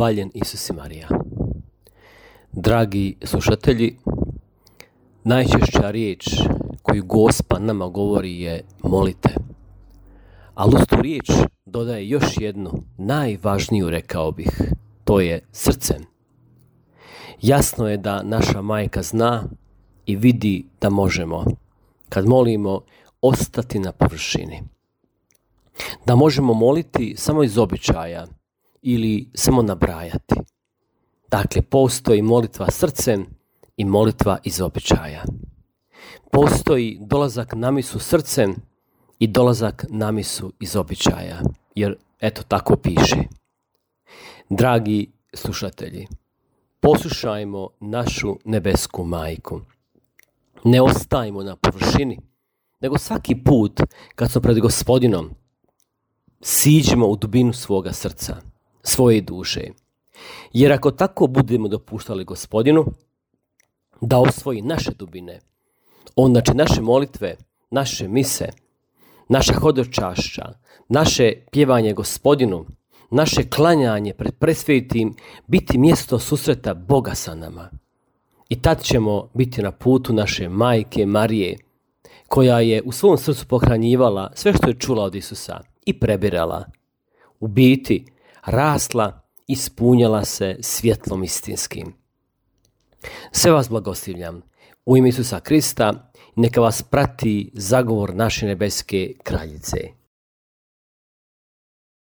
Hvaljen Isus i Marija. Dragi slušatelji, najčešća riječ koju Gospa nama govori je molite. Ali uz tu riječ dodaje još jednu, najvažniju rekao bih, to je srcem. Jasno je da naša majka zna i vidi da možemo, kad molimo, ostati na površini. Da možemo moliti samo iz običaja ili samo nabrajati. Dakle, postoji molitva srcem i molitva iz običaja. Postoji dolazak na misu srcem i dolazak na misu iz običaja, jer eto tako piše. Dragi slušatelji, poslušajmo našu nebesku majku. Ne ostajmo na površini, nego svaki put kad smo pred Gospodinom, siđimo u dubinu svoga srca, svoje duše. Jer ako tako budemo dopuštali Gospodinu da osvoji naše dubine, onda će naše molitve, naše mise, naša hodočašća, naše pjevanje Gospodinu, naše klanjanje pred presvetim biti mjesto susreta Boga sa nama. I tad ćemo biti na putu naše majke Marije, koja je u svom srcu pohranjivala sve što je čula od Isusa i prebirala. U biti rasla i ispunjala se svjetlom istinskim. Sve vas blagoslivljam u ime Isusa Krista, neka vas prati zagovor naše nebeske kraljice.